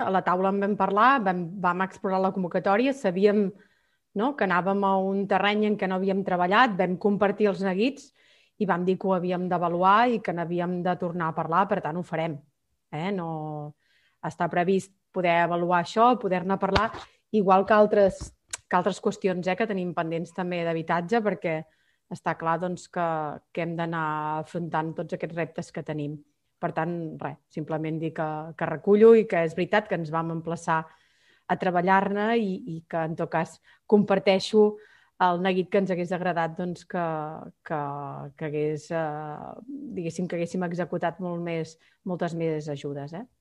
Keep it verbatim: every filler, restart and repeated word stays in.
a la taula en vam parlar, vam, vam explorar la convocatòria, sabíem, no?, que anàvem a un terreny en què no havíem treballat, vam compartir els neguits i vam dir que ho havíem d'avaluar i que n'havíem de tornar a parlar, per tant ho farem. Eh? No està previst poder avaluar això, poder-ne parlar, igual que altres, que altres qüestions eh, que tenim pendents també d'habitatge, perquè està clar doncs, que, que hem d'anar afrontant tots aquests reptes que tenim. Per tant, res, simplement dir que, que recullo i que és veritat que ens vam emplaçar a treballar-ne i, i que, en tot cas, comparteixo el neguit que ens hagués agradat doncs, que, que, que, hagués, eh, diguéssim, que haguéssim executat molt més, moltes més ajudes. Eh?